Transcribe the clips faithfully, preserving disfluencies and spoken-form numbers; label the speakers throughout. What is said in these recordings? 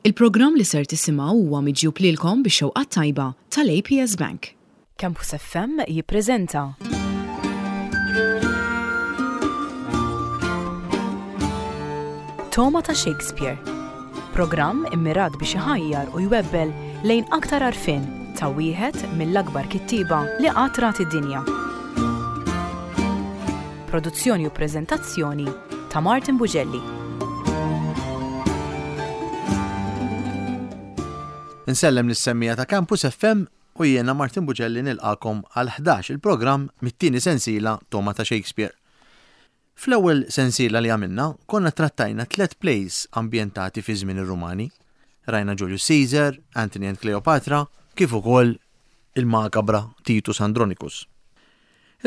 Speaker 1: Il-programm li ser tisimgħu huwa miġjub lilkom bix-xewqa tajba tal-A P S Bank. Campus F M jippreżenta Togħma ta' Shakespeare. Programm immirat biex iħajjar u jwebbel lejn aktar għarfien ta' wieħed mill-akbar kittiba li qatt rat id-dinja. Produzzjoni u preżentazzjoni ta' Martin Bugelli.
Speaker 2: Insellem lis-semmiegħa ta' Campus F M u jiena Martin Bugelli nilqagħkom għal ħdax il-programm mit-tieni sensiela Togħma ta' Shakespeare. Fl-ewwel sensiela li għamilna konna trattajna tliet plays ambjentati fi żmien ir-Rumani. Rajna Julius Caesar, Antony and Cleopatra, kif ukoll il-makabra Titus Andronicus.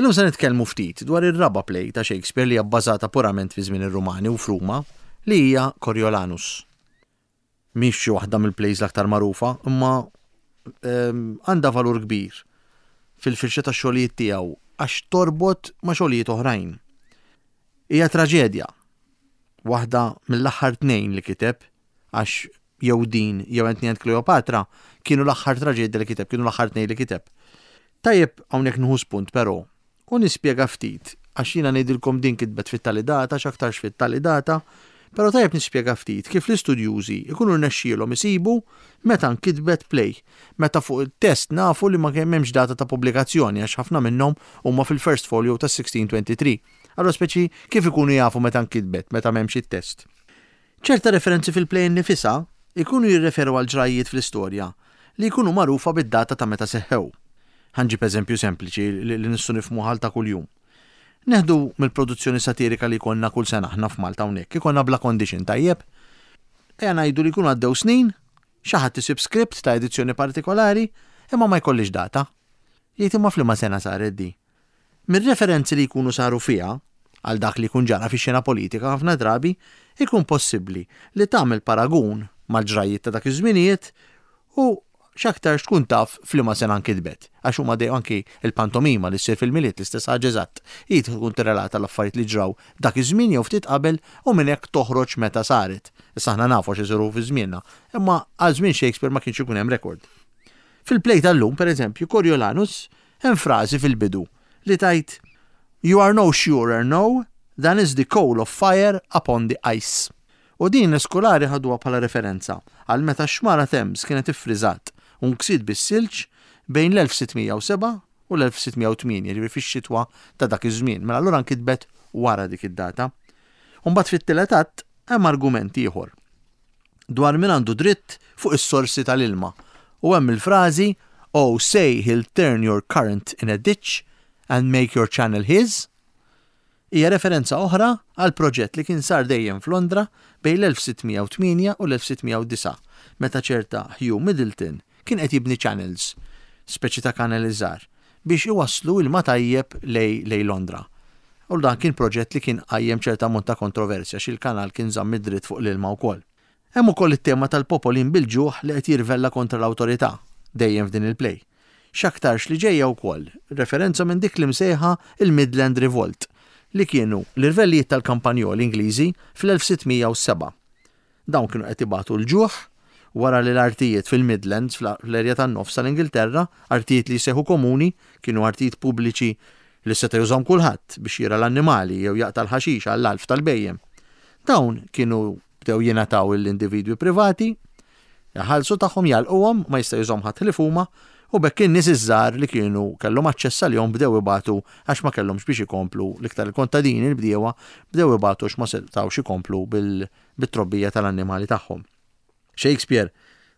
Speaker 2: Illum se nitkellmu ftit dwar ir-raba' play ta' Shakespeare li hija bbażata purament fi żmien ir-Rumani u f'Ruma, li hija Coriolanus. Mhix xi waħda mill-plays l-aktar magħrufa, imma ehm, għandha valur kbir fil-firxa ta' xogħlijiet tiegħu għax torbot ma' xogħlijiet oħrajn. Hija traġedja, waħda mill-aħħar tnejn li kiteb, għax jew din jew Antony and Cleopatra kienu l-aħħar traġedja li kiteb, kienu l-aħħar tnejn li kiteb. Tajjeb hawnhekk nieħu spunt però u nispjega ftit, għax jiena ngħidilkom din kitbet fit-tali data, x'aktarx fit-tali data, però tajjeb nispjega ftit kif l-istudjużi ikunu rnexxielhom isibu meta nkitbet play, meta fuq il-test nafu li ma hemmx data ta' pubblikazzjoni, għax ħafna minnhom huma fil-first folio ta' sixteen twenty-three. Allora speċi kif ikunu jafu meta nkitbet, meta m'hemmx it-test? Ċerta referenzi fil-play nifisha ikunu jirreferu għal ġrajiet fl-istorja li jkunu magħrufa bid-data ta' meta seħħew. Ħa nġib eżempju sempliċi li li nistgħu nifhmu ħal ta' kuljum. Neħdu mill-produzzjoni satirika li jkollna kull sena aħna f'Malta hawnhekk, ikollna Bla Condition, tajjeb. Ejja ngħidu li jkunu għaddew snin, xi ħadd isib script ta' edizzjoni partikolari, imma ma jkollix data. Jgħid, "Imma f'liema sena saret di?" Mir-referenzi li jkunu saru fiha għal dak li jkun ġara fix-xena politika, ħafna drabi ikun possibbli li tagħmel paragun mal-ġrajiet ta' dak iż-żminijiet u x'aktarx tkun taf f'liema sena nkitbet. Għax huma dejjem, anki il-pantomima li ssir fil-Milied, l-istess ħaġa eżatt. Hi tkun tirrelata l-affarijiet li ġraw dak iż-żmien jew ftit qabel u minn hekk toħroġ meta saret. Issa aħna nafu x'isiru fi żmienna, imma għal żmien Shakespeare ma kienx ikun hemm rekord. Fil-play tal-lum, per eżempju, Coriolanus, hemm frażi fil-bidu li tgħid, "You are no surer now than is the coal of fire upon the ice." U din l-iskulari ħaduha bħala referenza għal meta xmara Thames kienet iffriżat u nksiet bis-silġ bejn l-elf sitt mija u sebgħa u l-elf sitt mija u tmienja, ġifieri fix-xitwa ta' dak iż-żmien. Mela allura nkitbet wara dik id-data. U mbagħad fit-tielet att hemm argument ieħor dwar min għandu dritt fuq is-sorsi tal-ilma. U hemm il-frażi, "Oh, say he'll turn your current in a ditch and make your channel his." Hija referenza oħra għal proġett li kien sar dejjem f'Londra bejn l-elf sitt mija u tmienja u l-elf sitt mija u disgħa, meta ċerta Hugh Middleton kien qed jibni channels, speċi ta' kanalizzar, biex iwasslu ilma tajjeb lej, lej Londra. U dan kien proġett li kien qajjem ċerta ammont ta' kontroversja xi l-kanal kien żamm id-dritt fuq l-ilma wkoll. Hemm ukoll it-tema tal-popolin bil-ġuħ li qed jirvella kontra l-awtorità dejjem f'din il-play. X'aktarx li ġejja wkoll referenza minn dik li msejħa il-Midland Revolt, li kienu l-irvellijiet tal-kampanjoli Ingliżi fl-elf sitt mija u sebgħa. Dawn kienu qed ibatu l-ġuħ wara li l-artijiet fil-Midlands, fl-erja tan-nofs tal-Ingilterra, artijiet li jseħu komuni, kienu artijiet pubbliċi li seta' jużahom kulħadd biex jirgħa l-annimali jew jaqta' l-ħaxix għall-alf tal-bhejjem. Dawn kienu bdew jingħataw l-individwi privati, jaħallsu tagħhom, jagħlquhom, ma jista' jużahom ħadd ħlief huma, u b'hekk in-nies iż-żgħar li kienu kellhom aċċess għalihom bdew ibatu għax ma kellhomx biex ikomplu, l-iktar il-kontadini, l-bdiewa, bdew ibatu għax ma setgħux ikomplu bil-trobbija tal-annimali tagħhom. Shakespeare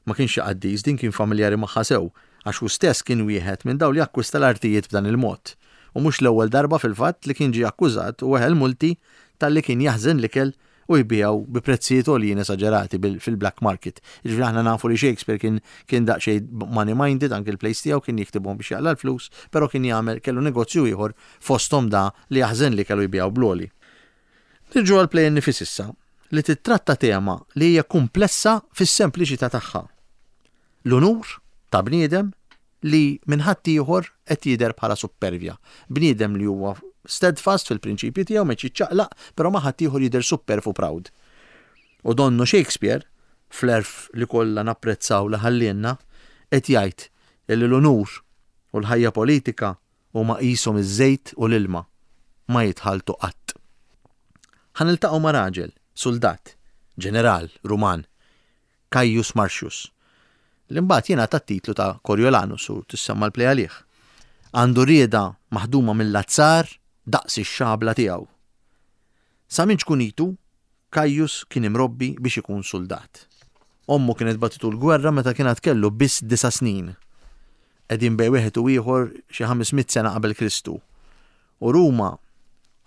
Speaker 2: ma kienx xi qaddis, din kien familjari magħha sew, għax hu stess kien wieħed minn dawn li akkwista l-artijiet b'dan il-mod. U mhux l-ewwel darba fil-fatt li kien ġie akkużat u weħel multi talli kien jaħżen l-ikel u jbigħu bi prezzijiet għoljin esaġerati fil-black market. Ġifieri aħna nafu li Shakespeare kien kien daqsxejn money minded, anke il-plays tiegħu kien jiktibhom biex jaqla' l-flus, però kien jagħmel, kellu negozju ieħor, fosthom da li jaħżen li kellu jbigħu bl-għoli. Nirġu għal-play nifis issa, li titratta tema li hija komplessa fis-sempliċità tagħha. L-unur ta' bniedem li minn ħadd ieħor qed jidher bħala suppervja. Bniedem li huwa steadfast fil-prinċipji tiegħu, ma jiċċaqlaq, però ma' ħadd ieħor jidher superb u proud. U donnu Shakespeare fl-għerf li kollha napprezzaw li ħallielna, qed jgħid illi l-unur u l-ħajja politika huma qishom iż-żejt u l-ilma, ma jitħaltu qatt. Ħa niltaqgħu ma' raġel, suldat, ġeneral Ruman, Caius Marcius, li mbagħad jingħata t-titlu ta' Coriolanus u tissemma l-play għalih. Għandu rieda maħduma mill-azzar daqs ix-xabla tiegħu. Sa minn ċkunitu, Caius kien imrobbi biex ikun suldat. Ommu kienet bagħtitu l-gwerra meta kien għad kellu biss disa' snin. Qegħdin bejn wieħed u ieħor xi ħames mitt sena qabel Kristu. U Ruma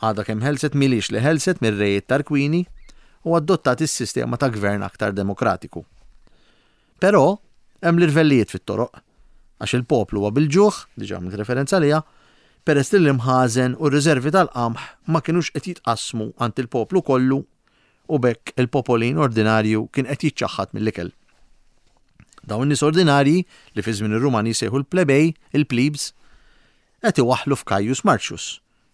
Speaker 2: għadha kemm ħelset milix li ħelset mir-rejiet Tarquini u adottat is-sistema ta' gvern aktar demokratiku. Però hemm l-irvellijiet fit-toroq, għax il-poplu huwa bil-ġuħ, diġà għamilt referenza għaliha, peress li l-imħażen u r-riservi tal-qamħ ma kinux qed jitqassmu għand il-poplu kollu u b'hekk il-popolin ordinarju kien qed jiċċaħħad mill-ikel. Dawn in-nies ordinarji li fi żmien ir-Rumani jsejħu l-plebej, il-plebs, qed iwaħħlu f'Caius Marcius,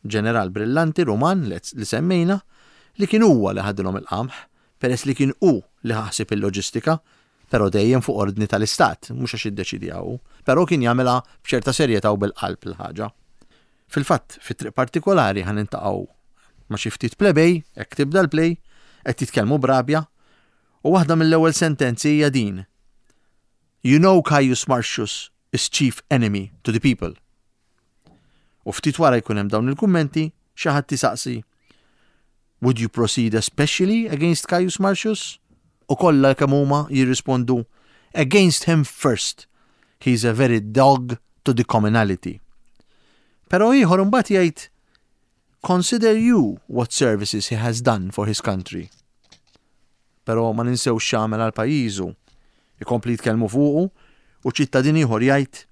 Speaker 2: ġeneral brillanti Ruman li semmejna, li kien huwa li ħadilhom il-qamħ, peress li kien hu li ħasib il-loġistika, però dejjem fuq ordni tal-istat, mhux għax iddeċidiha hu, però kien jagħmilha b'ċerta serjetà u bil-qalb il-ħaġa. Fil-fatt, fit-triq partikolari ħa niltaqgħu ma' xi ftit plebej, hekk tibda l-play, qed jitkellmu b'rabja, u waħda mill-ewwel sentenzi hija din. You know Caius Marcius is chief enemy to the people. U ftit wara jkun hemm dawn il-kummenti, xi ħadd jisaqsi, Would you proceed especially against Caius Marcius? U kollha kemm huma jirrispondu, Against him first. He's a very dog to the commonalty. Però ieħor imbagħad jgħid, Consider you what services he has done for his country. Però ma ninsewx x'għamel għal pajjiżu. Ikompli jitkellmu fuqu u ċittadin ieħor jgħid,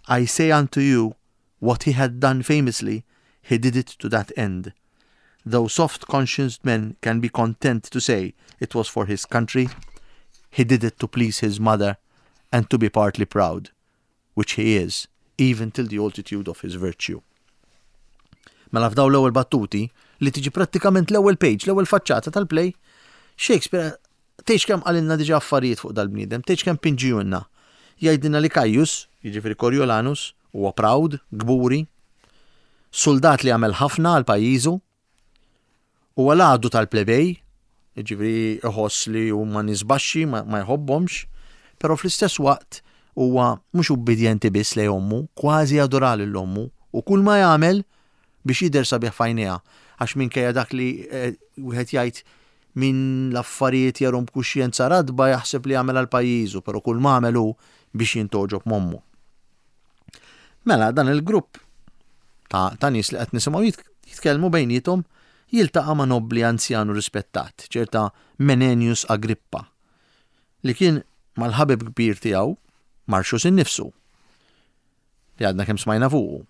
Speaker 2: I say unto you what he had done famously, he did it to that end. Though soft-conscienced men can be content to say it was for his country, he did it to please his mother and to be partly proud, which he is, even till the altitude of his virtue. Mela f'daw l-ewwel battuti li tiġi prattikament l-ewwel page, l-ewwel faċċata tal-play, Shakespeare tgħidx kemm qalilna diġà affarijiet fuq dal-bniedem, tgħidx kemm pinġijunna. Jgħidilna li Caius, jiġifieri Coriolanus, huwa proud, kburi, soldat li għamel ħafna għal pajjiżu, huwa l-għadu tal-plebej, jiġifieri iħoss li huma nies baxxi, ma, ma jħobbhomx, però fl-istess waqt huwa mhux ubbidjenti biss lejn ommu, kważi jadura lil ommu, u kull ma jagħmel biex jidher sabiħ f'għajnejha, għax minkejja dak li, eh, wieħed jgħid min l-affarijiet jarhom b'kuxjenza radba jaħseb li jagħmel għal pajjiżu, però kull ma għamel hu biex jintogħġob m'ommu. Mela dan il-grupp ta', ta' nies li qed nisimgħu jit-, jitkellmu bejniethom jiltaqa' ma' nobli anzjanu rispettat, ċerta Menenius Agrippa, li kien mal-ħabib kbir tiegħu Marcius innifsu, li għadna kemm smajna fuqu.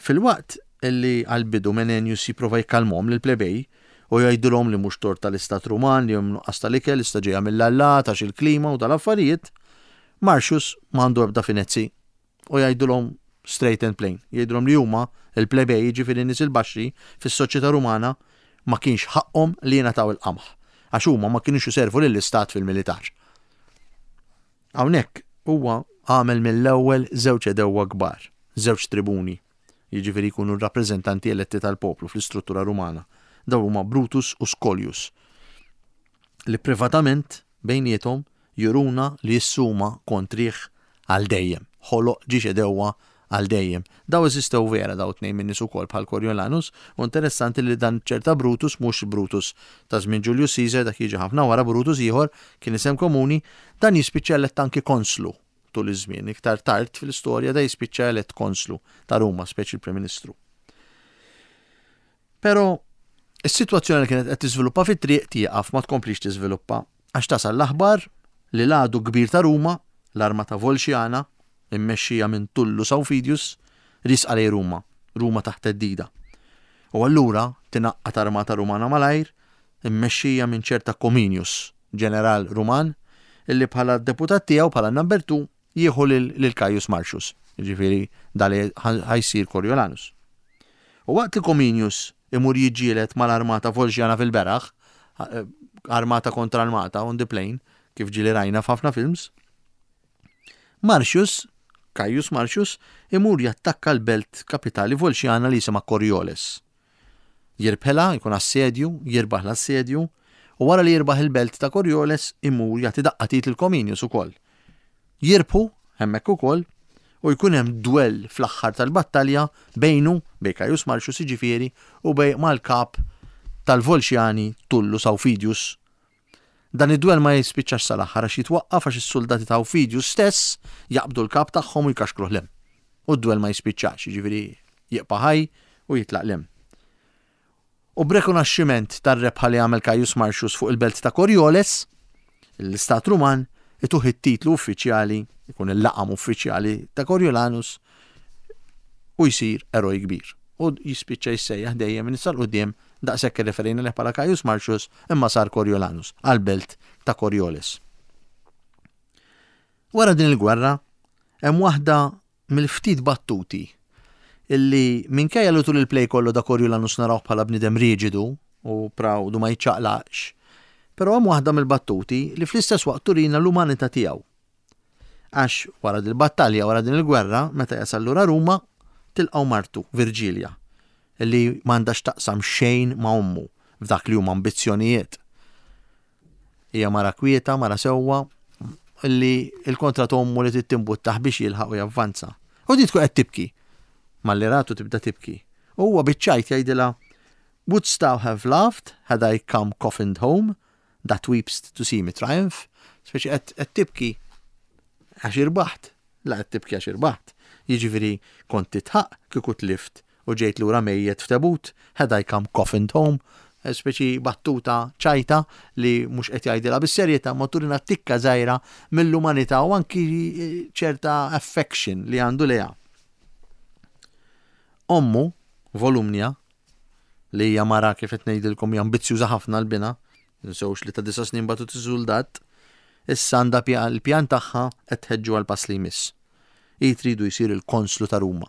Speaker 2: Fil-waqt illi għal-bidu Menenius jipprova jikkalmhom lil plebej u jgħidulhom li mhux tort tal-istat Ruman li hemm nuqqas tal-ikel, issa ġejja mill-allat għax il-klima u tal-affarijiet, Marcius m'għandu ebda finezzi u jgħidulhom straight and plain. Jgħidulhom li huma il-plebej, jiġifieri nies il-baxxi fis-soċjetà Rumana, ma kienx ħaqhom li jingħataw il-qamħ għax huma ma kienux iservu lill-istat fil-militar. Hawnhekk huwa għamel mill-ewwel żewġ għedewwa kbar, żewġ tribuni, jiġifieri jkunu rappreżentanti eletti tal-poplu fl-istruttura Rumana. Dawn huma Brutus u Scolius, li privatament bejniethom juruna li jissuma kontrih għal dejjem, ħoloq żewġ għedewwa għal dejjem. Daw eżistew vera daw tnejn minn nies ukoll bħal Coriolanus, u interessanti li dan ċerta Brutus mhux Brutus ta' żmien Julius Caesar, dak jiġi ħafna wara, Brutus ieħor kien isem komuni, dan jispiċċa elett anki konslu tul iż-żmien. Iktar tard fil-istorja da jispiċċa elett konslu ta' Ruma, speċi l-Prim Ministru. Però is-sitwazzjoni li kienet qed tiżviluppa fit-triq tieqaf, ma tkomplix tiżviluppa, għax tasal l-aħbar li l-għadu kbir ta' Ruma, l-armata Volxiana, immexxija minn Tullus Aufidius, riesqa lejn Ruma, Ruma taħt theddida. U allura tingħaqad armata Rumana malajr, immexxija minn ċerta Cominius, ġeneral Ruman, illi bħala deputat tiegħu, bħala number two, jieħu lil, lil Caius Marcius, jiġifieri dali ħa jsir Coriolanus. U waqt li Cominius imur jiġġieled mal-armata Volxiana fil-beraħ, armata kontra armata on the plain, kif ġieli rajna f'ħafna films. Marcius, Caius Marcius, imur jattakka l-belt kapitali Volxjana li jisimha Corioles. Jirbħelha, jkun assedju, jirbaħ l-assedju, u wara li jirbaħ il-belt ta' Corioles imur jagħti daqqa t'id lil Cominius ukoll. Jirbħu hemmhekk ukoll u jkun hemm dwell fl-aħħar tal-battalja bejnu, bejn Caius Marcius jiġifieri, u bejn mal-kap tal-Volxjani Tullus Aufidius. Dan id-dwell ma jispiċċax sal-aħħar għax jitwaqqaf għax is-soldati ta' Aufidius stess jaqbdu l-kap tagħhom u jkaxkruh 'l hemm. U d-dwell ma jispiċċax, jiġifieri jibqa' ħaj u jitlaq 'l hemm. U b'rekonoxximent tar-rebħa li għamel Caius Marcius fuq il-belt ta' Corioles, l-Istat Ruman ituh it-titlu uffiċjali, ikun il-laqam uffiċjali ta' Coriolanus u jsir eroj kbir. U jispiċċa jissejjaħ dejjem minn issa 'l quddiem daqshekk irreferejna lih bħala Caius Marcius imma sar Coriolanus għall-belt ta' Corioles. Wara din il-gwerra hemm waħda mill-ftit battuti illi minkejja li tul il-play kollu da Coriolanus narawh bħala bniedem riġidu u proud u ma jiċċaqlaqx, però hemm waħda mill-battuti li fl-istess waqt turina l-umanità tiegħu. Għax wara din il-battalja, wara din il-gwerra, meta jasal lura Ruma, tilqgħu martu, Virgilia, illi m'għandha x'taqsam xejn ma' ommu f'dak li huma ambizzjonijiet. Hija mara kwieta, mara sewwa, illi il-kontra t'ommu li tittimbuttaħ biex jilħaq u javvanza. U di tkun qed tibki. Malli ratu tibda tibki. U huwa biċ-ċajt jgħidilha, Wouldst thou have laughed had I come coffined home, that weepst to see me triumph? Speċi qed tibki għax irbaħt. La qed tibki għax irbaħt. Jiġifieri kont titħaq kieku tlift u ġejt lura mejjet f'tebut, had I come coffined home, speċi battuta ċajta li mhux qed jgħidilha bis-serjetà ma turina tikka żgħira mill-umanità u anki ċerta affection li għandu lejha. Ommu, Volumnia, li hija mara kif qed ngħidilkom hija ambizzjuża ħafna l-bina, ninsewx li ta' disa' snin bagħtu suldat, issa għandha l-pjan tagħha qed tħeġġu għal pass li jmiss. Hi tridu jsir il-konslu ta' Ruma.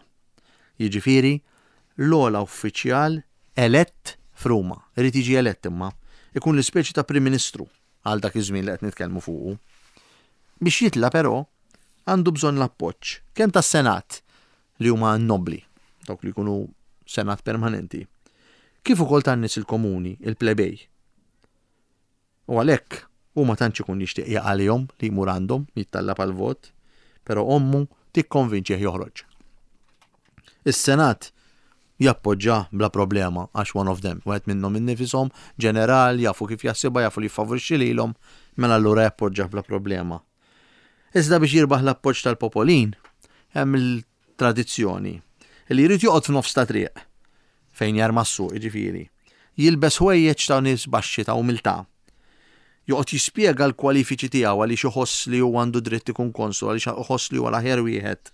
Speaker 2: Jiġifieri l-ogħla uffiċjal elett f'Ruma. Irid jiġi elett imma ikun l-ispeċi ta' Prim Ministru għal dak iż-żmien li qed nitkellmu fuqu. Biex jitla' però għandu bżonn l-appoġġ kemm tas-Senat li huma nobbli, dawk li jkunu senat permanenti, kif ukoll tan-nies il-komuni, il-plebej. U għalhekk hu ma tantx ikun jixtieq jaqalihom li jmur għandhom jittallab għal vot, però ommu tikkonvinċih joħroġ. Is-Senat jappoġġa bla problema għax one of them, wieħed minnhom innifisom, ġeneral, jafu kif jaħsibha, jafu li jfavorixxi lilhom, mela allura jappoġġa bla problema. Iżda biex jirbaħ l-appoġġ tal-popolin, hemm il-tradizzjoni li jrid joqgħod f'nofs ta' triq fejn jarma s-suq, jiġifieri. Jilbes ħwejjeġ ta' nies baxxi ta' umiltà. Joqgħod jispjega l-kwalifiċi tiegħu għaliex iħoss li huwa għandu dritt ikun konsul, għaliex iħoss li huwa l-aħjar wieħed.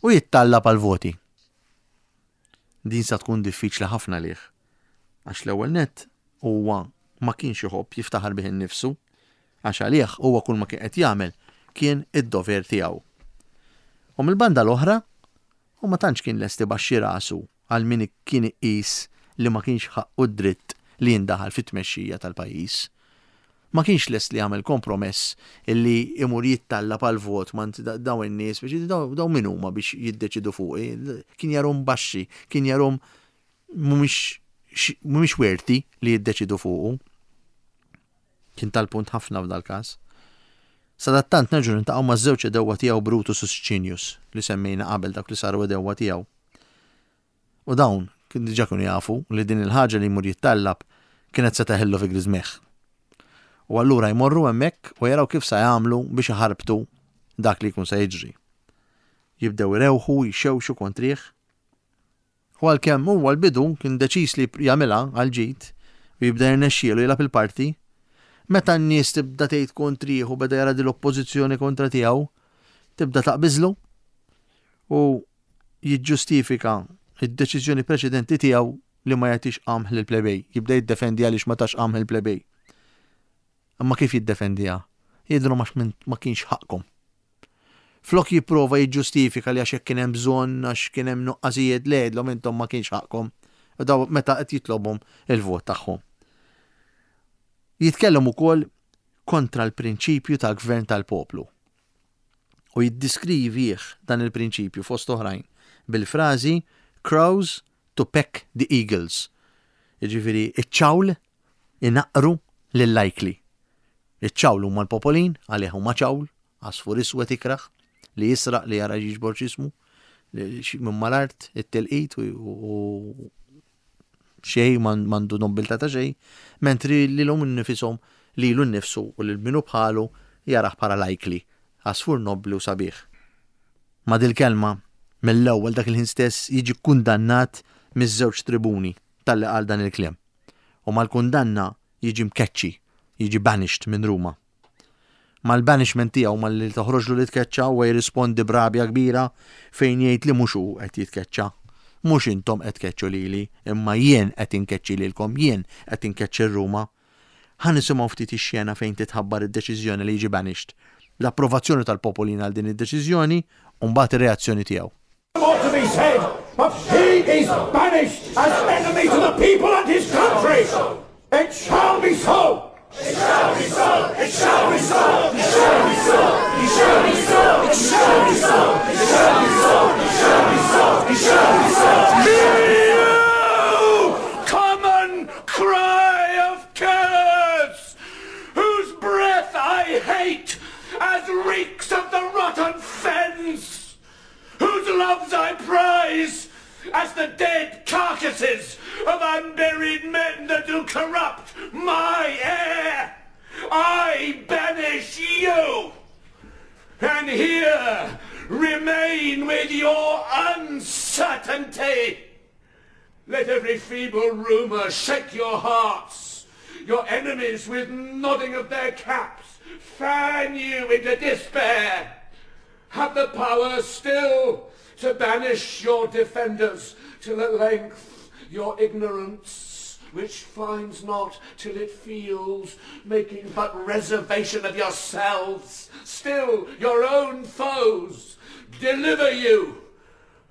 Speaker 2: U jittallab għal voti. Din sa tkun diffiċli ħafna lih. Għax l-ewwel nett huwa ma kienx iħobb jiftaħar bih innifsu, għax għalih huwa kull ma kien qed jagħmel kien id-dover tiegħu. U mill-banda l-oħra, u ma tantx kien lest ibaxxi rasu għal min kien iqis li ma kienx ħaqqu dritt li jindaħal fit-tmexxija tal-pajjiż. Ma kienx lest li jagħmel kompromess illi imur jittallab għal vot ma daw in-nies biex daw min huma biex jiddeċidu fuqi. Kien jarhom baxxi, kien jarhom mhumiex worthy li jiddeċidu fuqu. Kien tal-punt ħafna f'dal każ. Sadattant nerġgħu niltaqgħu ma' żewġ għedewwa tiegħu Brutus u Sicinius li semmejna qabel dak li saru għedewwa tiegħu. U dawn kien diġà kienu jafu li din il-ħaġa li jmur jittallab kienet se teħillu fi griżmejh. U allura jmorru hemmhekk u jaraw kif sa jagħmlu biex iħarbtu dak li jkun se jiġri. Jibdew irewħu, jxewxu kontrih. U għalkemm huwa l-bidu kien deċiż li jagħmilha għal ġid u jibda jirnexxielu jilgħab il-parti, meta n-nies tibda tgħid kontrih u beda jara din l-oppożizzjoni kontra tiegħu, tibda taqbiżlu u jiġġustifika id-deċiżjoni preċedenti tiegħu li ma jagħtix qamħ lil plebej, jibda jiddefendi għaliex ma tax qamħ il-plebej. Imma kif jiddefendiha? Jidru ma kienx ħaqkom. Flok jipprova jiġġustifika li għax hekk kien hemm bżonn, għax kien hemm nuqqasijiet, le jgħidlhom intom ma kienx ħaqkom. U daw meta qed jitlobhom il-vot tagħhom. Jitkellem ukoll kontra l-prinċipju tal-gvern tal-poplu. U jiddiskrivih dan il-prinċipju fost oħrajn bil-frażi "crows to peck the eagles". Jiġifieri iċ-ċawl inaqqru lill-ajkli. Iċ-ċawl huma l-popolin, għalih huma ċawl, għasfur iswed ikrah, li jisraq, li jara jiġbor x'jismu, minn mal-art, it-tilqit u xej m'għandu nobiltà ta' xej, mentri li l nifisom lilu nnifsu u lil min hu bħalu jarah bħala l-ajkli, għasfur nobli u sabiħ. Ma' dil-kelma, mill-ewwel dak il-ħin stess jiġi kundannat miż-żewġ tribuni talli qal dan il-kliem. U mal-kundanna jiġi mkeċċi, jiġi banished minn Ruma. Mal-banishment tiegħu, malli toħroġlu li tkeċċa, u jirrispondi b'rabja kbira fejn jgħid li mhux hu qed jitkeċċa. Mhux intom qed tkeċċu lili, imma jien qed inkeċċi lilkom, jien qed inkeċċi Ruma. Ħa nisimgħu ftit ix-xena fejn titħabbar id-deċiżjoni li jiġi banished. L-approvazzjoni tal-popolin għal din id-deċiżjoni u mbagħad ir-reazzjoni tiegħu.
Speaker 3: More to be said, but he is banished as enemy to the people and his country. It shall be so. It shall be so. It shall be so. It shall be so. It shall be so. It shall be so. It shall be so. It shall be so. It shall be so. Hear you, common cry of curs, whose breath I hate as reeks of the rotten fens, whose loves I prize as the dead carcasses of unburied men that do corrupt my air. I banish you, and here remain with your uncertainty. Let every feeble rumour shake your hearts, your enemies with nodding of their caps fan you into despair. Have the power still to banish your defenders, till at length your ignorance, which finds not till it feels, making but reservation of yourselves, still your own foes, deliver you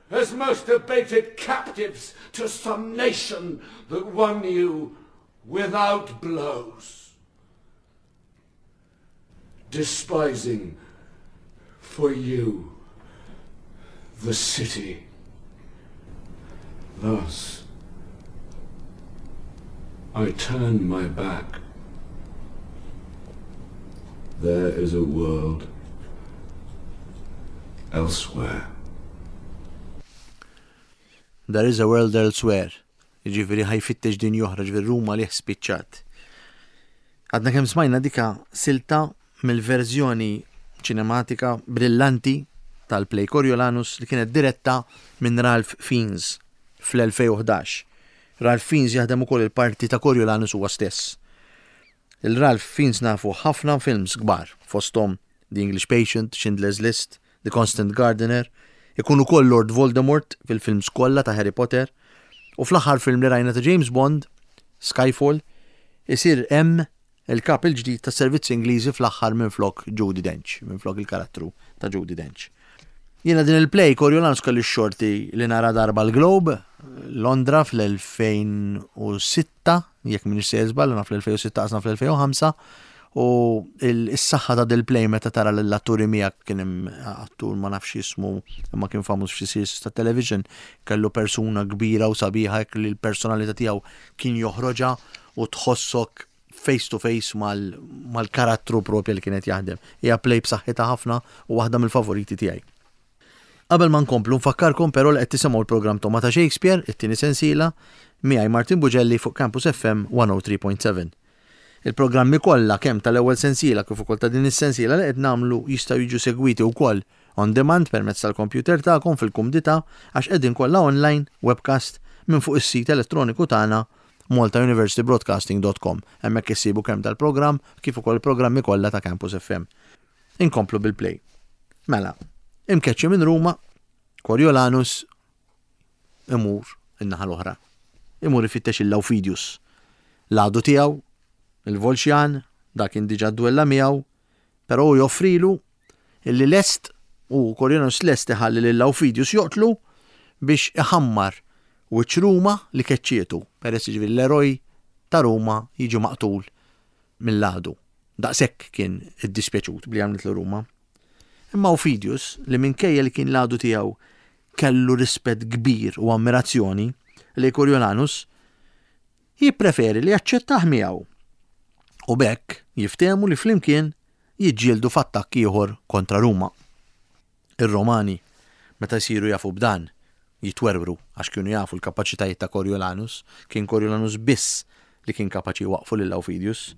Speaker 3: as most abated captives to some nation that won you without blows. Despising for you the city. Thus I turn my back. There is a world elsewhere.
Speaker 2: There is a world elsewhere. Ġifieri ħa jfittex dinja oħra, ġifieri Ruma li spiċċat. Għadna kemm smajna dika silta mill-verżjoni ċinematika brillanti tal-play Coriolanus li kienet diretta minn Ralph Fiennes fl-elfejn u ħdax. Ralph Fiennes jaħdem ukoll il-parti ta' Coriolanus huwa stess. Il-Ralph Fiennes nafu ħafna films kbar, fosthom The English Patient, Schindler's List, The Constant Gardener, ikun ukoll Lord Voldemort fil-films kollha ta' Harry Potter, u fl-aħħar film li rajna ta' James Bond, Skyfall, isir hemm il-kap il-ġdid ta' servizzi Ingliżi fl-aħħar minn flok Judi Dench, minn flok il-karattru ta' Judi Dench. Jiena din il-play Coriolanus kelli x-xorti li nara darba l-Globe, Londra fl-elfejn u sitta, jekk m'iniex sejjer żball, na fl-elfejn u sitta qasna fl-elfejn u ħamsa, u s-saħħa ta' dil-play meta tara l-atturi miegħek, kien hemm attur ma nafx jismu imma kien famuż f'xi series ta' television, kellu persuna kbira u sabiħa hekk li l-personalità tiegħu kien joħroġha u tħossok face to face mal-karattru propja li kienet jaħdem. Hija play b'saħħitha ħafna u waħda mill-favoriti tiegħi. Qabel ma nkomplu, nfakkarkom però li qed tisimgħu l-programm Togħma ta' Shakespeare, it-tieni sensiela, miegħi Martin Bugelli fuq Campus F M mija u tlieta punt seba'. Il-programmi kollha, kemm tal-ewwel sensiela kif ukoll ta' din is-sensiela li qed nagħmlu, jistgħu jiġu segwiti wkoll on demand permezz tal-computer tagħkom fil-kumdità, għax qegħdin kollha online webcast minn fuq is-sit elettroniku tagħna maltauniversitybroadcasting punt com. Hemmhekk issibu kemm tal-programm kif ukoll il-programmi kollha ta' Campus F M. Inkomplu bil-play. Mela, imkeċċi minn Ruma, Coriolanus imur in-naħa l-oħra. Imur ifittex il-Aufidius. L-għadu tiegħu, il-Volxjan, dak kien diġà dwella miegħu, però hu joffrilu illi lest u Coriolanus lest iħalli lil Aufidius joqtlu biex iħammar wiċċ Ruma li keċċietu, peress, ġifieri, l-eroj ta' Ruma jiġi maqtul mill-għadu. Daqshekk kien iddispjaċut bli għamlet Ruma. Imma Aufidius, li minkejja li kien l-għadu tiegħu kellu rispett kbir u ammirazzjoni li Coriolanus, jippreferi li jaċċettah miegħu. U b'hekk jiftehmu li flimkien jiġġieldu f'attakk ieħor kontra Ruma. Ir-Romani, meta jsiru jafu b'dan, jitwerwru għax kienu jafu l-kapaċitajiet ta' Coriolanus, kien Coriolanus biss li kien kapaċi jwaqqfu lil Aufidius.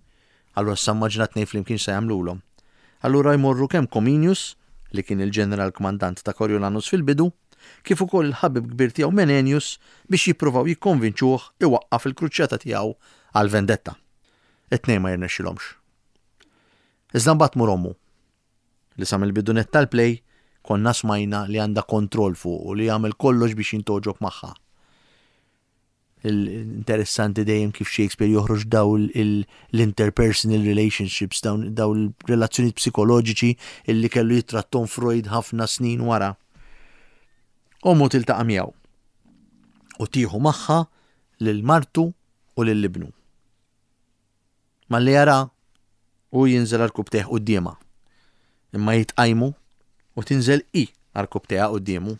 Speaker 2: Allura issa immaġina tnejn flimkien se jagħmlulhom. Allura jmorru kemm Cominius, li kien il-ġeneral kmandant ta' Coriolanus fil-bidu, kif ukoll il-ħabib kbir tiegħu Menenius biex jippruvaw jikkonvinċuh iwaqqaf il-kruċjata tiegħu għal vendetta. It-tnejn ma jirnexxilhomx. Iżda mbagħad tmur ommu li sa mill-bidu nett tal-play konna smajna li għandha kontroll fuq u li jagħmel kollox biex jintogħġob magħha. Interessanti dejjem kif Shakespeare joħroġ daw l-interpersonal relationships, daw il-relazzjonijiet psikoloġiċi illi kellu jittrattom Freud ħafna snin wara. Ommu tiltaqa' miegħu u tieħu magħha lil martu u lil ibnu. Malli jara u jinżel għarkupptejh quddiemha. Imma jitqajmu u tinżel i għarkupptejha quddiemu.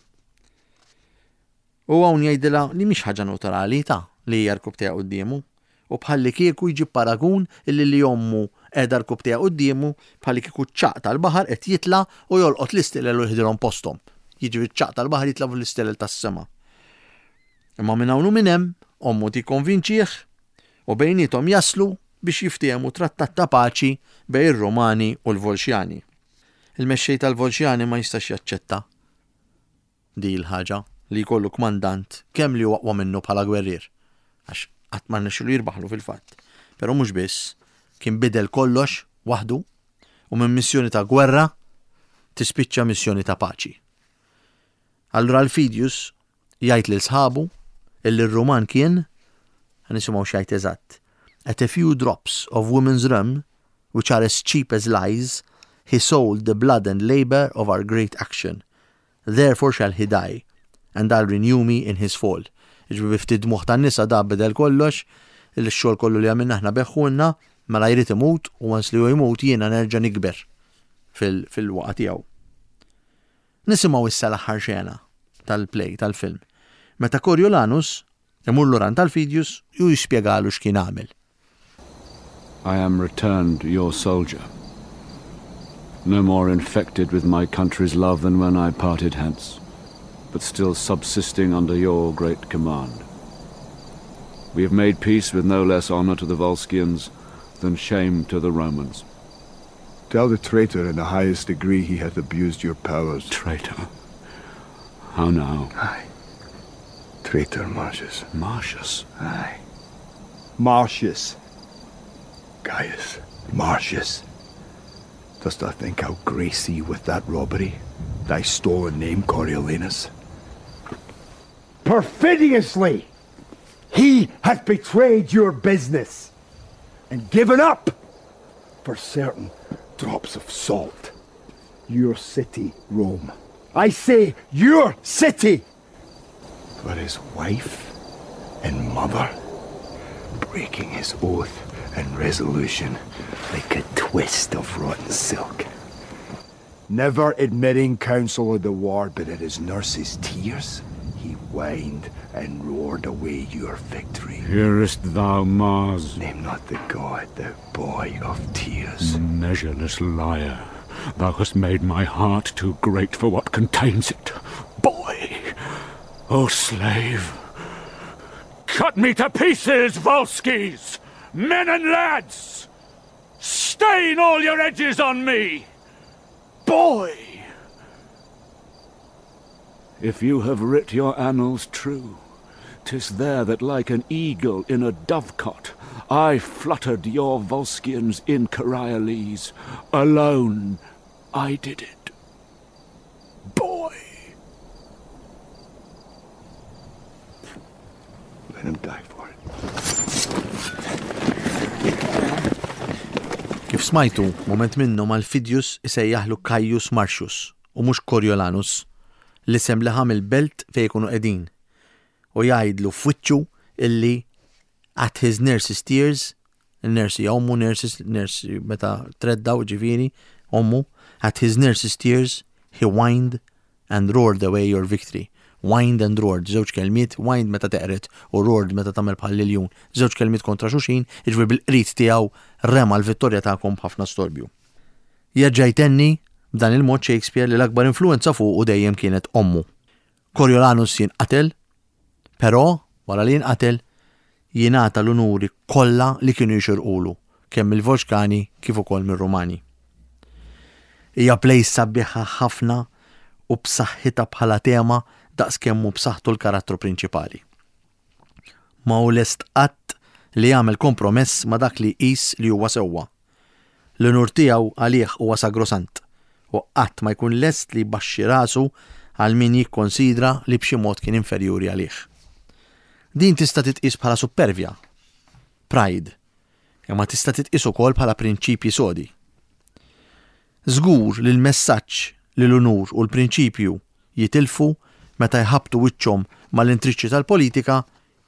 Speaker 2: U hawn jgħidilha li mhix ħaġa naturali ta' li hija għarkupptejha quddiemu u bħalli kieku jġib paragun illi li ommu qiegħda għarkupptejha quddiemu bħalli kieku ċ-ċagħaq tal-baħar qed jitla' u jolqot l-istilel u jieħdilhom posthom. Jiġifieri ċ-ċagħaq tal-baħar jitla' fuq l-istilel tas-sema. Imma minn hawn u minn hemm ommu tikkonvinċih u bejniethom jaslu biex jiftehmu trattat ta' paċi bejn ir-Romani u l-Volxjani. Il-mexxej tal-Volxjani ma jistax jaċċetta di l-ħaġa li jkollu kmandant kemm li huwa aqwa minnu bħala gwerrier, għax qatt ma rnexxielu jirbaħlu fil-fatt. Però mhux biss, kien bidel kollox waħdu u minn missjoni ta' gwerra tispiċċa missjoni ta' paċi. Allura Alfidius jgħid lil sħabu illi r-Ruman kien, nisimgħu x'jgħid eżatt, at a few drops of women's rum, which are as cheap as lies, he sold the blood and labor of our great action. Therefore shall he die, and I'll renew me in his fall. Jiġifieri bi ftit dmugħ tan-nisa da bidel kollox, il-xogħol kollu li għamilna aħna begħhulna, mela jrid imut u once li hu jmut jiena nerġa' nikber fil-waqgħa tiegħu. Nisimgħu issa l-aħħar xena tal-play, tal-film. Meta Coriolanus imur lura għand Alfidius u jispjegalu x'kien għamel.
Speaker 4: I am returned your soldier, no more infected with my country's love than when I parted hence, but still subsisting under your great command. We have made peace with no less honor to the Volscians than shame to the Romans.
Speaker 5: Tell the traitor in the highest degree he hath abused your powers.
Speaker 4: Traitor? How now?
Speaker 5: Aye. Traitor Marcius.
Speaker 4: Marcius?
Speaker 5: Aye. Marcius. Caius. Marcius. Dost thou think I'll grace thee with that robbery? Thy stolen name, Coriolanus? Perfidiously! He hath betrayed your business and given up for certain drops of salt your city, Rome. I say your city! For his wife and mother, breaking his oath and resolution like a twist of rotten silk. Never admitting counsel of the ward, but at his nurse's tears, he whined and roared away your victory.
Speaker 4: Hearest thou, Mars?
Speaker 5: Name not the god, the boy of tears.
Speaker 4: Measureless liar, thou hast made my heart too great for what contains it. Boy! O slave! Cut me to pieces, Volsces! Men and lads! Stain all your edges on me! Boy! If you have writ your annals true, 'tis there that like an eagle in a dovecot I fluttered your Volscians in Corioles. Alone I did it. Boy!
Speaker 5: Let him die for it.
Speaker 2: Kif smajtu, moment minnhom Alfidius isejjaħlu Caius Marcius u mhux Coriolanus, l-isem li ħa mill-belt fejn jkunu qegħdin, u jgħidlu f'wiċċu illi at his nurse's tears Il-nurse hija ommu, nurses, nurse meta treddaw ġifieri, ommu, at his nurse's tears, he whined and roared away your victory. Whined and roared, żewġ kelmiet, whined meta teqret u roared meta tagħmel bħal iljun. Żewġ kelmiet kontra xulxin, jiġifieri bil-qrid tiegħu rema l-vittorja tagħkom b'ħafna storbju. Jerġa' jtenni b'dan il-mod Shakespeare li l-akbar influenza fuqu dejjem kienet ommu. Coriolanus jinqatel, però wara li jinqatel jingħata l-unuri kollha li kienu jixirqulu, kemm mill-Volxkani kif ukoll mir-Rumani. Hija play sabiħa ħafna u b'saħħitha bħala tema daqs kemm hu b'saħħtu l-karattru prinċipali. Ma hu lest qatt li jagħmel kompromess ma' dak li jqis li huwa sewwa. L-unur tiegħu għalih huwa sagrosant u qatt ma jkun lest li jbaxxi rasu għal min jikkonsidra li b'xi mod kien inferjuri għalih. Din tista' titqis bħala supervja, pride, imma tista' titqis ukoll bħala prinċipji sodi. Żgur li l-messaġġ li l-unur u l-prinċipju jitilfu meta jħabtu wiċċhom mal-intriċċi tal-politika,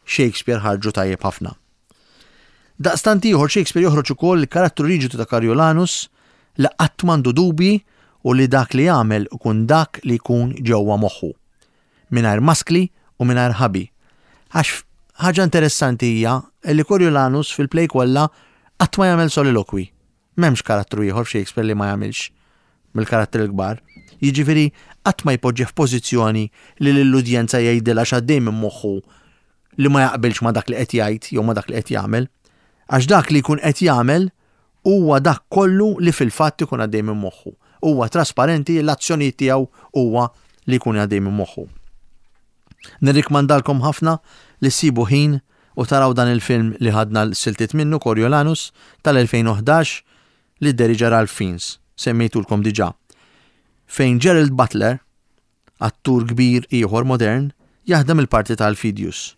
Speaker 2: Shakespeare ħarġu tajjeb ħafna. Daqstant ieħor Shakespeare joħroġ ukoll il-karattru riġidu ta' Coriolanus li qatt m'għandu dubji u li dak li jagħmel ikun dak li jkun ġewwa moħħu. Mingħajr maskli u mingħajr ħabi. Għax ħaġa interessanti hija li Coriolanus fil-play kollha qatt ma jagħmel soliloquy. M'hemmx karattru ieħor f'Shakespeare li ma jagħmilx mill-karattri l-kbar. Jiġifieri qatt ma jpoġġi f'pożizzjoni li lill-udjenza jgħidilha x'għaddej minn moħħu li ma jaqbilx ma dak li qed jgħid jew ma dak li qed jagħmel. Għax dak li jkun qed jagħmel huwa dak kollu li fil-fatt ikun għaddej minn moħħu. Huwa trasparenti, l-azzjonijiet tiegħu huwa li jkun għaddej minn moħħu. Nirrikmandalkom ħafna li ssibu ħin u taraw dan il-film li ħadna l-siltiet minnu, Coriolanus, tal-elfejn u ħdax, li dderieġa Ralph Fiennes, semmejtulkom diġà. Fejn Gerald Butler, attur kbir ieħor modern, jaħdem il-parti tal-Fidius.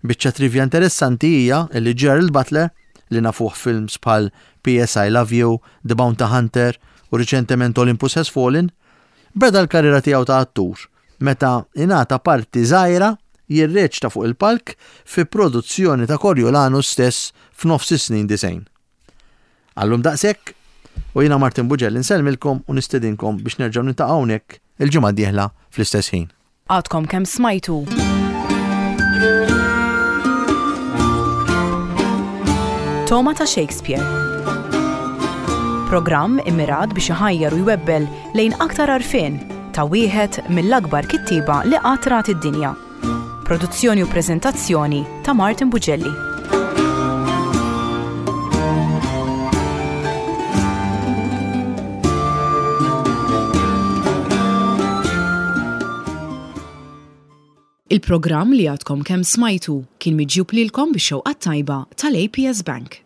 Speaker 2: Biċċa trivia interessanti hija li Gerald Butler, li nafuh films bħal P S I Love You, The Bounty Hunter u riċentement Olympus Has Fallen, beda l-karriera tiegħu ta' attur meta ingħata parti żgħira jirreċta fuq il-palk fi produzzjoni ta' Coriolanus stess f'nofs is-snin disgħin. Għallum daqshekk, u jiena Martin Bugelli nsellmilkom u nistedinkom biex nerġgħu niltaqgħu hawnhekk il-ġimgħa d-dieħla fl-istess ħin.
Speaker 1: Għadkom kemm smajtu. Toma ta' Shakespeare. Programm immirat biex iħajjar u jwebbel lejn aktar għarfien ta' wieħed mill-akbar kittieba li qatt rat id-dinja. Produzzjoni u preżentazzjoni ta' Martin Bugelli. Il-programm li għadkom kemm smajtu kien miġjub lilkom bix-xewqa tajba tal-A P S Bank.